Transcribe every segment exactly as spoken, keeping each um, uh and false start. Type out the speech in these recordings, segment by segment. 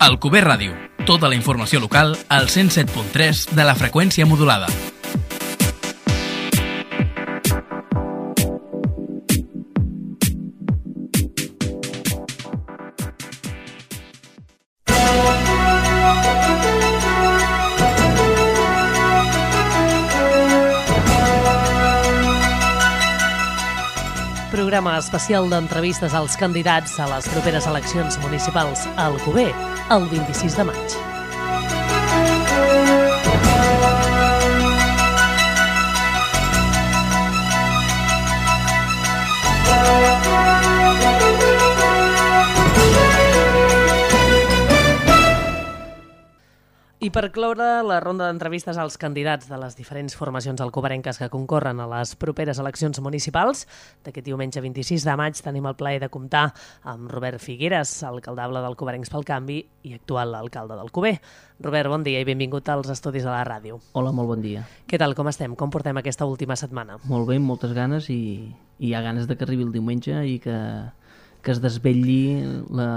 Alcover Ràdio, tota la informació local al cent set punt tres de la freqüència modulada. Programa especial d'entrevistes als candidats a les properes eleccions municipals a Alcover, el vint-i-sis de maig. I per cloure la ronda d'entrevistes als candidats de les diferents formacions alcoverenques que concorren a les properes eleccions municipals, d'aquest diumenge vint-i-sis de maig tenim el plaer de comptar amb Robert Figueres, alcaldable d'Alcoverencs pel Canvi i actual alcalde d'Alcover. Robert, bon dia i benvingut als estudis de la ràdio. Hola, molt bon dia. Què tal, com estem? Com portem aquesta última setmana? Molt bé, amb moltes ganes i, i hi ha ganes de que arribi el diumenge i que, que es desvetlli la,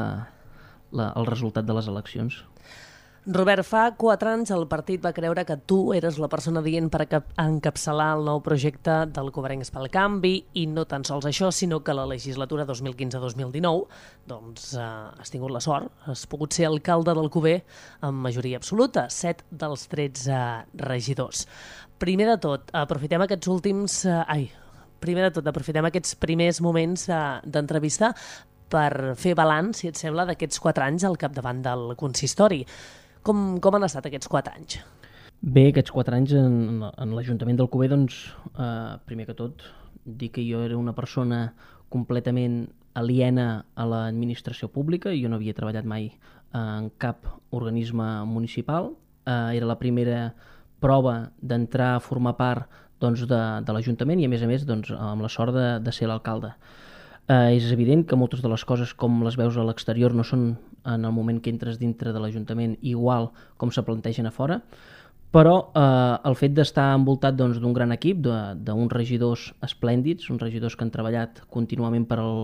la, el resultat de les eleccions. Robert, fa quatre anys el partit va creure que tu eres la persona dient per encapçalar el nou projecte d'Alcoverencs pel Canvi i no tan sols això, sinó que la legislatura dos mil quinze dos mil dinou doncs, eh, has tingut la sort, has pogut ser alcalde d'Alcover amb majoria absoluta, set dels tretze regidors. Primer de tot, aprofitem aquests últims... Eh, ai, primer de tot, aprofitem aquests primers moments eh, d'entrevista per fer balanç, si et sembla, d'aquests quatre anys al capdavant del consistori. Com, com han estat aquests quatre anys? Bé, aquests quatre anys en, en l'Ajuntament d'Alcover, doncs, eh, primer que tot, dir que jo era una persona completament aliena a l'administració pública, jo no havia treballat mai en cap organisme municipal, eh, era la primera prova d'entrar a formar part doncs, de, de l'Ajuntament i, a més a més, doncs, amb la sort de, de ser l'alcalde. Eh, és evident que moltes de les coses com les veus a l'exterior no són en el moment que entres dintre de l'Ajuntament igual com se plantegen a fora, però eh, el fet d'estar envoltat doncs, d'un gran equip, d'uns regidors esplèndids, uns regidors que han treballat contínuament per al,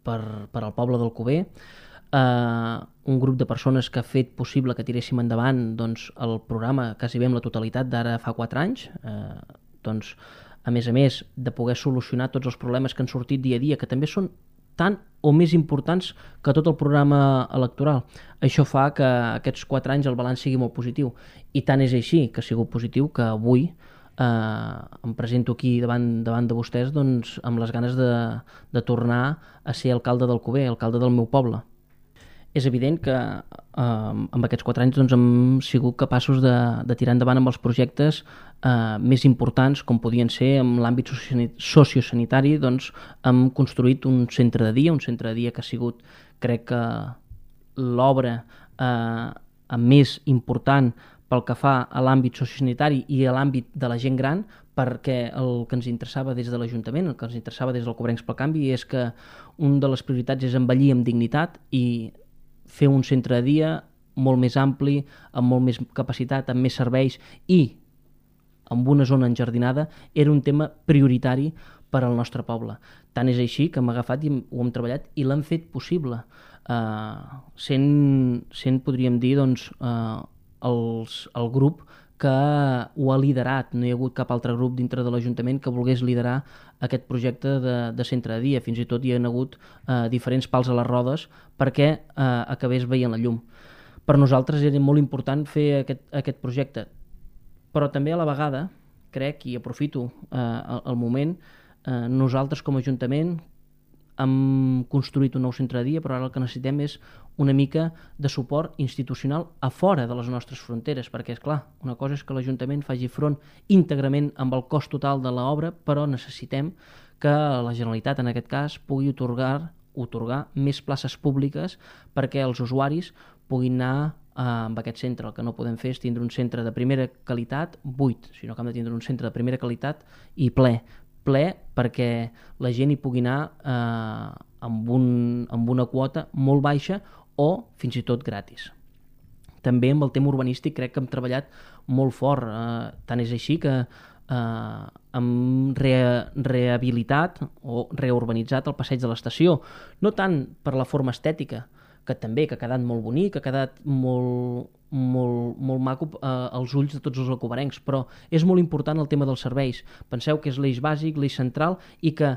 per, per al poble d'Alcover, eh, un grup de persones que ha fet possible que tiréssim endavant doncs, el programa quasi bé amb la totalitat d'ara fa quatre anys, eh, doncs a més a més de poder solucionar tots els problemes que han sortit dia a dia, que també són tant o més importants que tot el programa electoral. Això fa que aquests quatre anys el balanç sigui molt positiu. I tant és així que ha sigut positiu que avui eh, em presento aquí davant, davant de vostès doncs, amb les ganes de, de tornar a ser alcalde d'Alcover, alcalde del meu poble. És evident que eh, amb aquests quatre anys doncs, hem sigut capaços de, de tirar endavant amb els projectes eh, més importants, com podien ser en l'àmbit sociosanitari, doncs, hem construït un centre de dia, un centre de dia que ha sigut, crec que, l'obra eh, més important pel que fa a l'àmbit sociosanitari i a l'àmbit de la gent gran, perquè el que ens interessava des de l'Ajuntament, el que ens interessava des del Alcoverencs pel Canvi, és que una de les prioritats és envellir amb dignitat i fer un centre de dia molt més ampli, amb molt més capacitat, amb més serveis i amb una zona enjardinada, era un tema prioritari per al nostre poble. Tant és així que hem agafat i ho hem treballat i l'hem fet possible. Uh, sent, sent, podríem dir, doncs, uh, els, el grup que ho ha liderat. No hi ha hagut cap altre grup dintre de l'Ajuntament que volgués liderar aquest projecte de, de centre de dia. Fins i tot hi ha hagut eh, diferents pals a les rodes perquè eh, acabés veient la llum. Per nosaltres era molt important fer aquest, aquest projecte, però també a la vegada, crec, i aprofito eh, el, el moment, eh, nosaltres com a Ajuntament hem construït un nou centre de dia, però ara el que necessitem és una mica de suport institucional a fora de les nostres fronteres, perquè, és clar, una cosa és que l'Ajuntament faci front íntegrament amb el cost total de l'obra, però necessitem que la Generalitat, en aquest cas, pugui atorgar, atorgar més places públiques perquè els usuaris puguin anar eh, amb aquest centre. El que no podem fer és tindre un centre de primera qualitat buit, sinó que hem de tindre un centre de primera qualitat i ple, ple perquè la gent hi pugui anar eh, amb, un, amb una quota molt baixa o fins i tot gratis. També amb el tema urbanístic crec que hem treballat molt fort, eh, tant és així que eh, hem re rehabilitat o reurbanitzat el passeig de l'estació, no tant per la forma estètica, que també que ha quedat molt bonic, que ha quedat molt, molt, molt maco eh, als ulls de tots els alcobenencs, però és molt important el tema dels serveis. Penseu que és l'eix bàsic, l'eix central, i que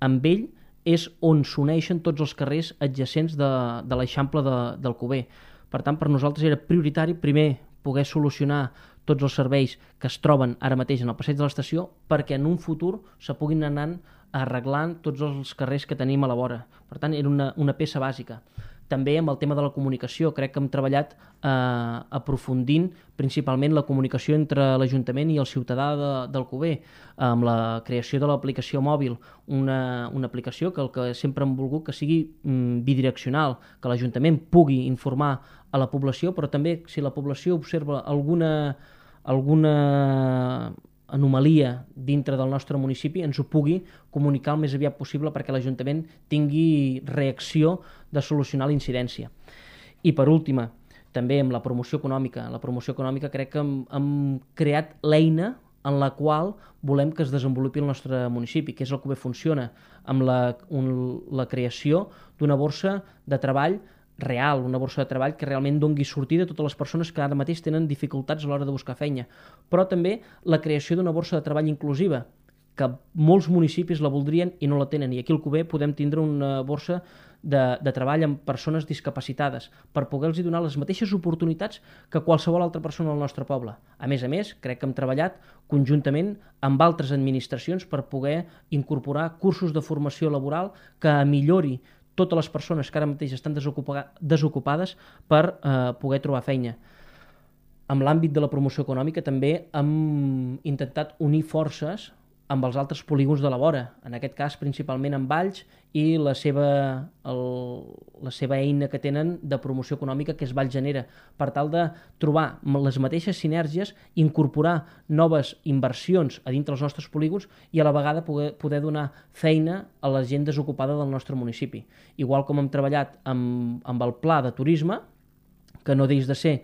amb ell és on s'uneixen tots els carrers adjacents de, de l'Eixample de, d'Alcover. Per tant, per nosaltres era prioritari primer poder solucionar tots els serveis que es troben ara mateix en el passeig de l'estació perquè en un futur se puguin anar arreglant tots els carrers que tenim a la vora. Per tant, era una, una peça bàsica. També amb el tema de la comunicació, crec que hem treballat eh, aprofundint principalment la comunicació entre l'Ajuntament i el ciutadà de, d'Alcover, amb la creació de l'aplicació mòbil, una, una aplicació que el que sempre hem volgut que sigui mm, bidireccional, que l'Ajuntament pugui informar a la població, però també si la població observa alguna, alguna anomalia dintre del nostre municipi ens ho pugui comunicar el més aviat possible perquè l'Ajuntament tingui reacció de solucionar la incidència. I per última, també amb la promoció econòmica. La promoció econòmica crec que hem, hem creat l'eina en la qual volem que es desenvolupi el nostre municipi, que és el que bé funciona, amb la, un, la creació d'una borsa de treball real, una borsa de treball que realment dongui sortida a totes les persones que ara mateix tenen dificultats a l'hora de buscar feina, però també la creació d'una borsa de treball inclusiva, que molts municipis la voldrien i no la tenen, i aquí al Alcover podem tindre una borsa de, de treball amb persones discapacitades per poder-los donar les mateixes oportunitats que qualsevol altra persona del nostre poble. A més a més, crec que hem treballat conjuntament amb altres administracions per poder incorporar cursos de formació laboral que millori totes les persones que ara mateix estan desocupades per eh, poder trobar feina. En l'àmbit de la promoció econòmica també hem intentat unir forces amb els altres polígons de la vora, en aquest cas principalment amb Valls i la seva, el, la seva eina que tenen de promoció econòmica, que és Valls Genera, per tal de trobar les mateixes sinergies, incorporar noves inversions a dintre dels nostres polígons i a la vegada poder, poder donar feina a la gent desocupada del nostre municipi. Igual com hem treballat amb, amb el pla de turisme, que no deix de ser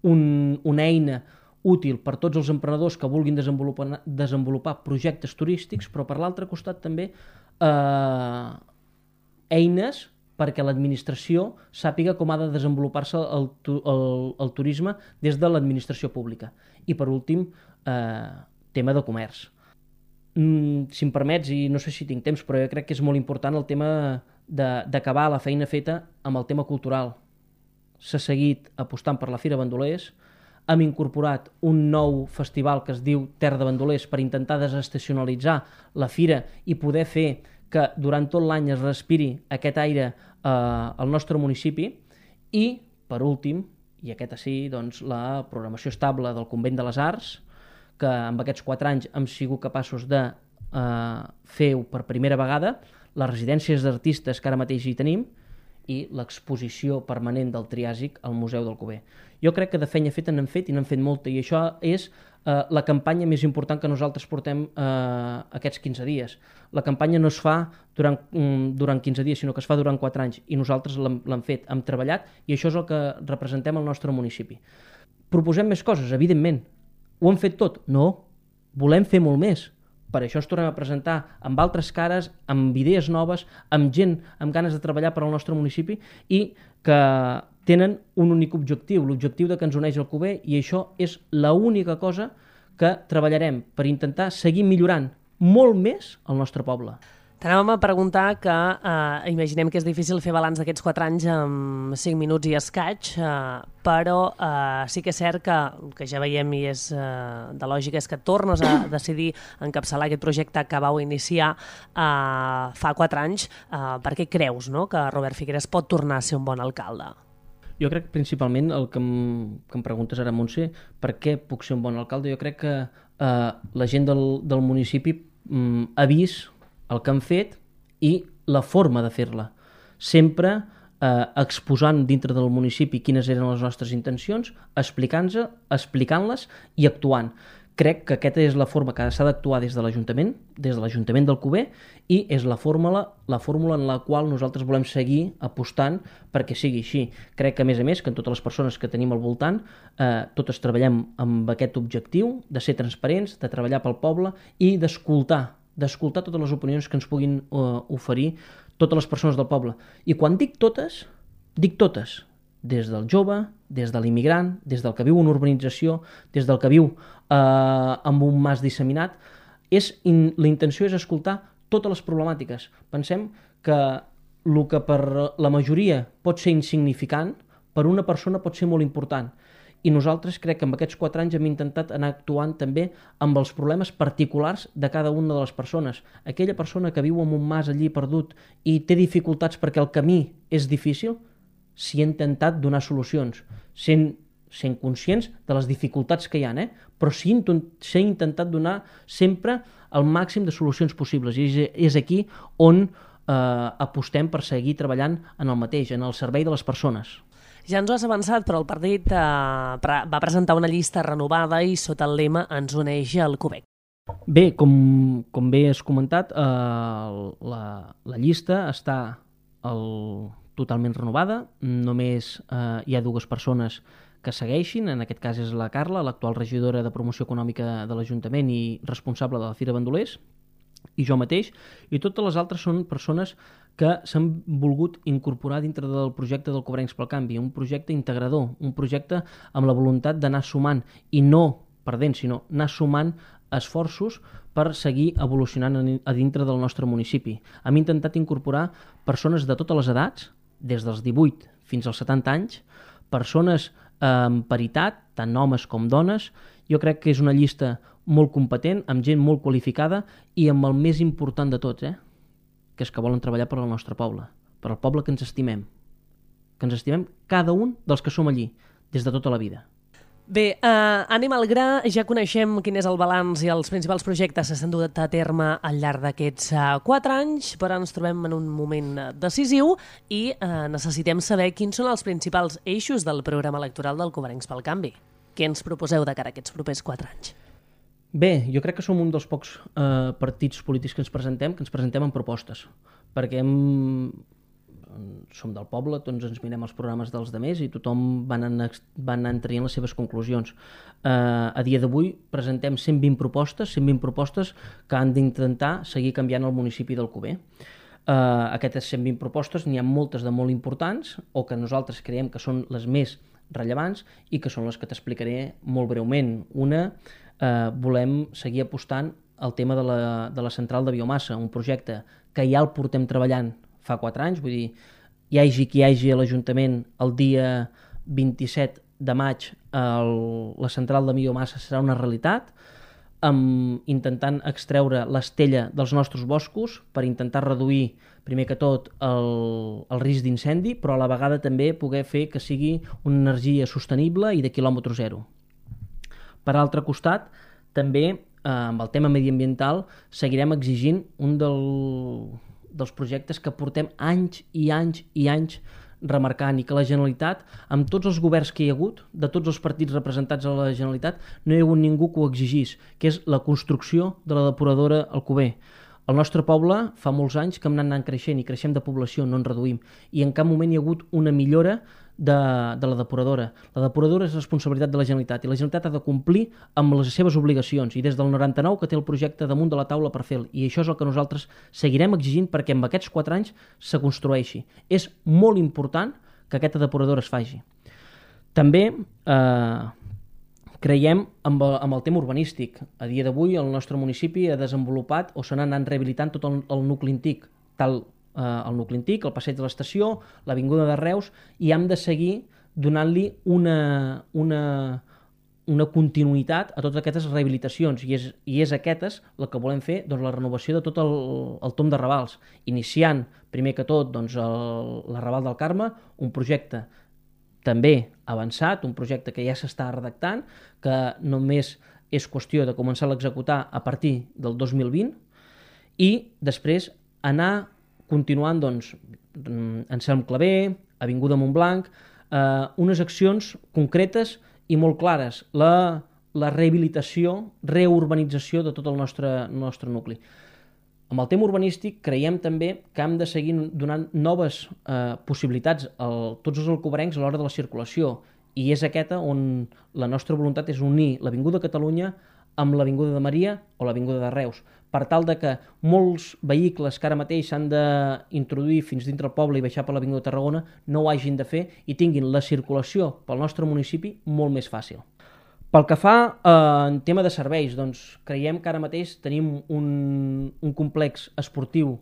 un, una eina útil per tots els emprenedors que vulguin desenvolupar, desenvolupar projectes turístics, però per l'altre costat també eh, eines perquè l'administració sàpiga com ha de desenvolupar-se el, el, el turisme des de l'administració pública. I per últim, eh, tema de comerç. Mm, si em permets, i no sé si tinc temps, però jo crec que és molt important el tema d'acabar la feina feta amb el tema cultural. S'ha seguit apostant per la Fira Bandolers, hem incorporat un nou festival que es diu Terra de Bandolers per intentar desestacionalitzar la fira i poder fer que durant tot l'any es respiri aquest aire eh, al nostre municipi. I, per últim, i aquest sí, doncs, la programació estable del Convent de les Arts, que amb aquests quatre anys hem sigut capaços de eh, fer per primera vegada, les residències d'artistes que ara mateix hi tenim, i l'exposició permanent del Triàsic al Museu d'Alcover. Jo crec que de feina feta n'hem fet i n'hem fet molta, i això és eh, la campanya més important que nosaltres portem eh, aquests quinze dies. La campanya no es fa durant, mm, durant quinze dies, sinó que es fa durant quatre anys, i nosaltres l'hem fet, hem treballat, i això és el que representem al nostre municipi. Proposem més coses, evidentment. Ho hem fet tot? No. Volem fer molt més. Per això ens tornem a presentar amb altres cares, amb idees noves, amb gent amb ganes de treballar per al nostre municipi i que tenen un únic objectiu, l'objectiu de que ens uneix el Alcover, i això és l'única cosa que treballarem per intentar seguir millorant molt més el nostre poble. T'anàvem a preguntar que eh, imaginem que és difícil fer balanç d'aquests quatre anys en cinc minuts i escaig, eh, però eh, sí que és cert que, que ja veiem i és eh, de lògica, és que tornes a decidir encapçalar aquest projecte que vau iniciar eh, fa quatre anys. Eh, per què creus, no?, que Robert Figueras pot tornar a ser un bon alcalde? Jo crec principalment el que em, que em preguntes ara, Montse, per què puc ser un bon alcalde? Jo crec que eh, la gent del, del municipi mm, ha vist el que han fet i la forma de fer-la. Sempre eh, exposant dintre del municipi quines eren les nostres intencions, explicant-les explicant i actuant. Crec que aquesta és la forma que s'ha d'actuar des de l'Ajuntament, des de l'Ajuntament d'Alcover, i és la fórmula, la fórmula en la qual nosaltres volem seguir apostant perquè sigui així. Crec que, a més a més, que en totes les persones que tenim al voltant, eh, totes treballem amb aquest objectiu de ser transparents, de treballar pel poble i d'escoltar d'escoltar totes les opinions que ens puguin uh, oferir totes les persones del poble. I quan dic totes, Dic totes, des del jove, des de l'immigrant, des del que viu en urbanització, des del que viu eh, amb un mas disseminat. És, in, la intenció és escoltar totes les problemàtiques. Pensem que el que per la majoria pot ser insignificant, per una persona pot ser molt important. I nosaltres crec que en aquests quatre anys hem intentat anar actuant també amb els problemes particulars de cada una de les persones. Aquella persona que viu en un mas allí perdut i té dificultats perquè el camí és difícil, s'hi ha intentat donar solucions, sent, sent conscients de les dificultats que hi ha, eh? Però s'ha intentat donar sempre el màxim de solucions possibles. I és, és aquí on eh, apostem per seguir treballant en el mateix, en el servei de les persones. Ja ens ho has avançat, però el partit eh, va presentar una llista renovada i sota el lema Ens uneix el Quebec. Bé, com, com bé has comentat, eh, la, la llista està el, totalment renovada. Només eh, hi ha dues persones que segueixin, en aquest cas és la Carla, l'actual regidora de Promoció Econòmica de l'Ajuntament i responsable de la Fira Bandolers, i jo mateix, i totes les altres són persones que s'han volgut incorporar dintre del projecte del Cobrencs pel Canvi, un projecte integrador, un projecte amb la voluntat d'anar sumant, i no perdent, sinó anar sumant esforços per seguir evolucionant a dintre del nostre municipi. Hem intentat incorporar persones de totes les edats, des dels divuit fins als setanta anys, persones amb paritat, tant homes com dones. Jo crec que és una llista molt competent, amb gent molt qualificada i amb el més important de tots, eh? que és que volen treballar per al nostre poble, per al poble que ens estimem, que ens estimem cada un dels que som allí, des de tota la vida. Bé, eh, anem al gra, ja coneixem quin és el balanç i els principals projectes que s'han dut a terme al llarg d'aquests eh, quatre anys, però ens trobem en un moment decisiu i eh, necessitem saber quins són els principals eixos del programa electoral del Cobrencs pel Canvi. Què ens proposeu de cara a aquests propers quatre anys? Bé, jo crec que som un dels pocs eh, partits polítics que ens presentem, que ens presentem amb propostes, perquè hem... som del poble, tots ens mirem els programes dels demés i tothom van anar, van anar traient les seves conclusions. Eh, a dia d'avui presentem cent vint propostes, cent vint propostes que han d'intentar seguir canviant el municipi d'Alcover. Eh, aquestes cent vint propostes n'hi ha moltes de molt importants o que nosaltres creiem que són les més rellevants i que són les que t'explicaré molt breument. Una, eh, volem seguir apostant al tema de la, de la central de biomassa, un projecte que ja el portem treballant fa quatre anys, vull dir, hi hagi qui hi hagi a l'Ajuntament el dia vint-i-set de maig el, la central de biomassa serà una realitat, amb, intentant extreure l'estella dels nostres boscos per intentar reduir, primer que tot, el, el risc d'incendi, però a la vegada també poder fer que sigui una energia sostenible i de quilòmetre zero. Per altre costat, també eh, amb el tema mediambiental seguirem exigint un del... dels projectes que portem anys i anys i anys remarcant i que la Generalitat, amb tots els governs que hi ha hagut, de tots els partits representats a la Generalitat, no hi ha hagut ningú que ho exigís, que és la construcció de la depuradora Alcover. Al nostre poble fa molts anys que hem anat creixent i creixem de població, no ens reduïm, i en cap moment hi ha hagut una millora de, de la depuradora. La depuradora és responsabilitat de la Generalitat i la Generalitat ha de complir amb les seves obligacions i des del noranta-nou que té el projecte damunt de la taula per fer-lo, i això és el que nosaltres seguirem exigint perquè en aquests quatre anys se construeixi. És molt important que aquesta depuradora es faci. També eh, creiem amb el, amb el tema urbanístic. A dia d'avui el nostre municipi ha desenvolupat o se n'ha anat rehabilitant tot el, el nucli antic, tal eh, el nucli antic, el passeig de l'estació, l'avinguda de Reus, i hem de seguir donant-li una, una, una continuïtat a totes aquestes rehabilitacions, i és, i és aquestes el que volem fer, doncs, la renovació de tot el, el tomb de Ravals, iniciant primer que tot doncs, el, la Raval del Carme, un projecte també avançat, un projecte que ja s'està redactant, que només és qüestió de començar a l'executar a partir del dos mil vint, i després anar continuant doncs, Anselm Clavé, Avinguda Montblanc, eh, unes accions concretes i molt clares, la, la rehabilitació, reurbanització de tot el nostre, nostre nucli. Amb el tema urbanístic creiem també que hem de seguir donant noves eh, possibilitats a tots els alcoverencs a l'hora de la circulació, i és aquesta on la nostra voluntat és unir l'Avinguda Catalunya amb l'Avinguda de Maria o l'Avinguda de Reus, per tal de que molts vehicles que ara mateix s'han d'introduir fins dintre el poble i baixar per l'Avinguda de Tarragona no ho hagin de fer i tinguin la circulació pel nostre municipi molt més fàcil. Pel que fa eh, en tema de serveis, doncs creiem que ara mateix tenim un, un complex esportiu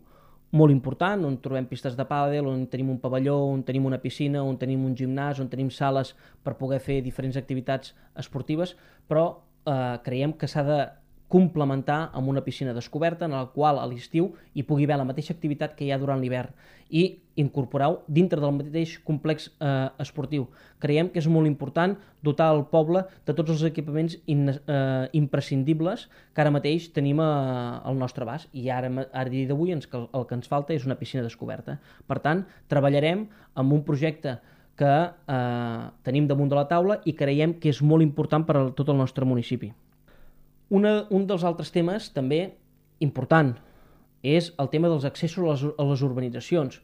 molt important, on trobem pistes de pàdel, on tenim un pavelló, on tenim una piscina, on tenim un gimnàs, on tenim sales per poder fer diferents activitats esportives, però eh, creiem que s'ha de complementar amb una piscina descoberta en la qual a l'estiu hi pugui haver la mateixa activitat que hi ha durant l'hivern i incorporar-ho dintre del mateix complex eh, esportiu. Creiem que és molt important dotar el poble de tots els equipaments in, eh, imprescindibles que ara mateix tenim a, al nostre abast i ara, ara dia d'avui ens, el que ens falta és una piscina descoberta. Per tant, treballarem amb un projecte que eh, tenim damunt de la taula i creiem que és molt important per a tot el nostre municipi. Una, un dels altres temes també important és el tema dels accessos a les, a les urbanitzacions.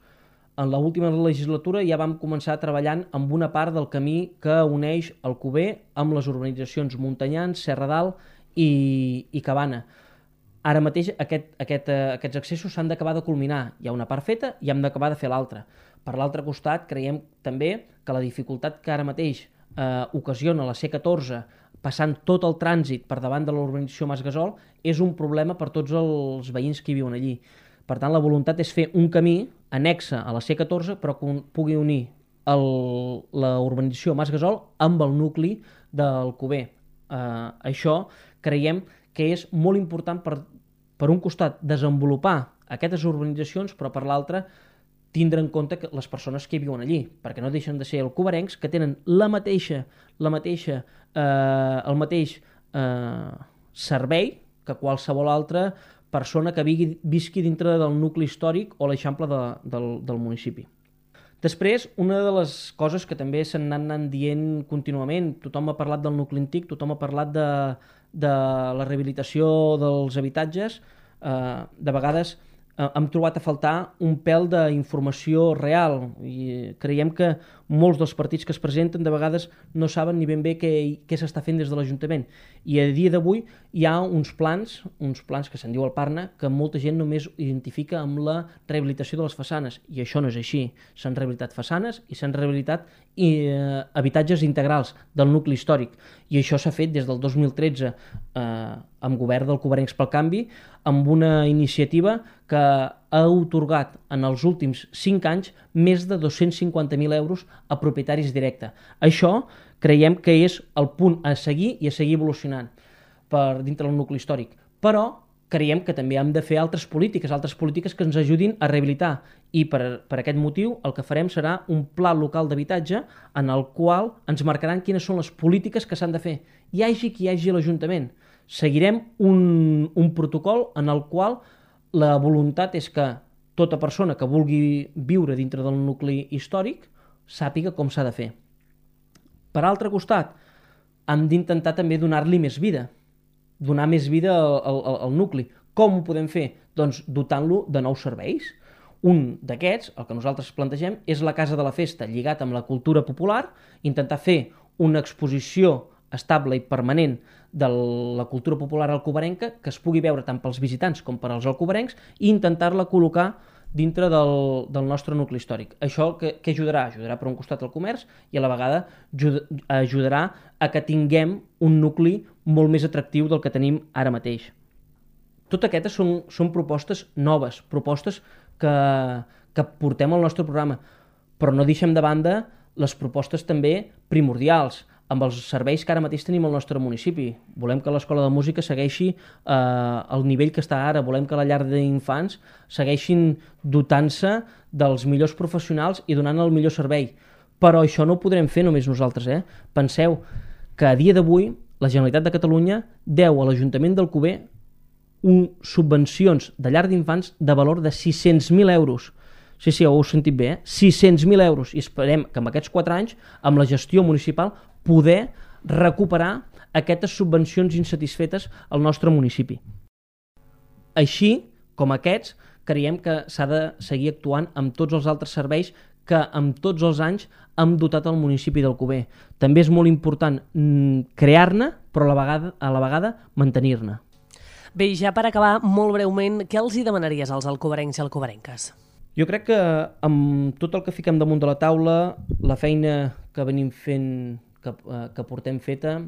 En l'última legislatura ja vam començar treballant amb una part del camí que uneix Alcover amb les urbanitzacions Montanyans, Serra d'Alt i, i Cabana. Ara mateix aquest, aquest, eh, aquests accessos s'han d'acabar de culminar. Hi ha una part feta i hem d'acabar de fer l'altra. Per l'altre costat, creiem també que la dificultat que ara mateix eh, ocasiona la C catorze passant tot el trànsit per davant de l'urbanització Mas Gasol, és un problema per tots els veïns que hi viuen allí. Per tant, la voluntat és fer un camí annexe a la C catorze, però que pugui unir la urbanització Mas Gasol amb el nucli d'Alcover. Eh, això creiem que és molt important per, per un costat, desenvolupar aquestes urbanitzacions, però per l'altre, tindre en compte que les persones que hi viuen allí, perquè no deixen de ser alcoverencs que tenen la mateixa, la mateixa, eh, el mateix eh, servei que qualsevol altra persona que vigui, visqui dintre del nucli històric o l'eixample de, del, del municipi. Després, una de les coses que també s'han anat dient contínuament, tothom ha parlat del nucli antic, tothom ha parlat de, de la rehabilitació dels habitatges, eh, de vegades hem trobat a faltar un pèl d'informació real i creiem que molts dels partits que es presenten de vegades no saben ni ben bé què, què s'està fent des de l'Ajuntament. I a dia d'avui hi ha uns plans, uns plans que se'n diu el Parna, que molta gent només identifica amb la rehabilitació de les façanes, i això no és així. S'han rehabilitat façanes i s'han rehabilitat eh, habitatges integrals del nucli històric, i això s'ha fet des del dos mil tretze eh, amb govern d'Alcoverencs pel Canvi, amb una iniciativa que ha atorgat en els últims cinc anys més de dos-cents cinquanta mil euros a propietaris directes. Això creiem que és el punt a seguir i a seguir evolucionant per dintre del nucli històric. Però creiem que també hem de fer altres polítiques, altres polítiques que ens ajudin a rehabilitar, i per, per aquest motiu el que farem serà un pla local d'habitatge en el qual ens marcaran quines són les polítiques que s'han de fer. Hi hagi qui hi hagi a l'Ajuntament. Seguirem un, un protocol en el qual la voluntat és que tota persona que vulgui viure dintre del nucli històric sàpiga com s'ha de fer. Per altre costat, hem d'intentar també donar-li més vida, donar més vida al, al, al nucli. Com ho podem fer? Doncs dotant-lo de nous serveis. Un d'aquests, el que nosaltres plantegem, és la Casa de la Festa, lligat amb la cultura popular, intentar fer una exposició estable i permanent de la cultura popular alcoverenca que es pugui veure tant pels visitants com per als alcoverencs i intentar-la col·locar dintre del, del nostre nucli històric. Això que, que ajudarà? Ajudarà per un costat al comerç i a la vegada ajudarà a que tinguem un nucli molt més atractiu del que tenim ara mateix. Tot aquestes són, són propostes noves, propostes que, que portem al nostre programa, però no deixem de banda les propostes també primordials, amb els serveis que ara mateix tenim al nostre municipi. Volem que l'Escola de Música segueixi eh, al nivell que està ara, volem que la llar d'infants segueixin dotant-se dels millors professionals i donant el millor servei. Però això no ho podrem fer només nosaltres. Eh? Penseu que a dia d'avui la Generalitat de Catalunya deu a l'Ajuntament d'Alcover un, subvencions de llar d'infants de valor de sis-cents mil euros. Sí, sí, ho heu sentit bé, eh? sis-cents mil euros. I esperem que en aquests quatre anys, amb la gestió municipal, poder recuperar aquestes subvencions insatisfetes al nostre municipi. Així com aquests, creiem que s'ha de seguir actuant amb tots els altres serveis que amb tots els anys hem dotat el municipi d'Alcover. També és molt important crear-ne, però a la vegada, a la vegada mantenir-ne. Bé, ja per acabar, molt breument, què els hi demanaries als alcoverencs i alcoverenques? Jo crec que amb tot el que fiquem damunt de la taula, la feina que venim fent, que, que portem feta,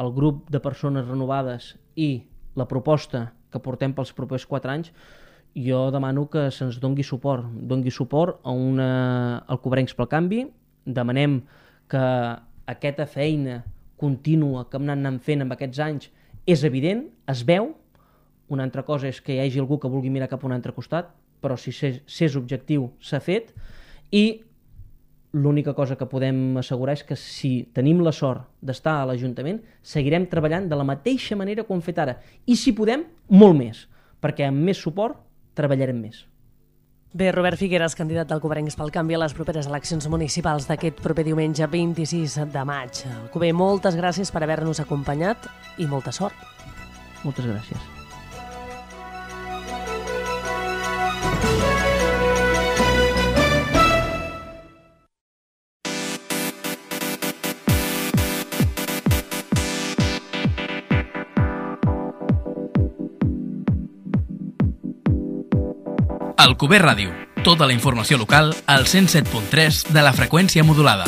el grup de persones renovades i la proposta que portem pels propers quatre anys, jo demano que se'ns dongui suport, dongui suport a una Alcoverencs pel Canvi. Demanem que aquesta feina contínua que hem anat fent en aquests anys és evident, es veu. Una altra cosa és que hi hagi algú que vulgui mirar cap a un altre costat, però si s'és objectiu s'ha fet, i l'única cosa que podem assegurar és que si tenim la sort d'estar a l'Ajuntament, seguirem treballant de la mateixa manera que ho hem fet ara, i si podem, molt més, perquè amb més suport treballarem més. Bé, Robert Figueras, candidat d'Alcoverencs pel Canvi a les properes eleccions municipals d'aquest proper diumenge vint-i-sis de maig. Alcover, moltes gràcies per haver-nos acompanyat i molta sort. Moltes gràcies. Alcover Ràdio, tota la informació local al cent set punt tres de la freqüència modulada.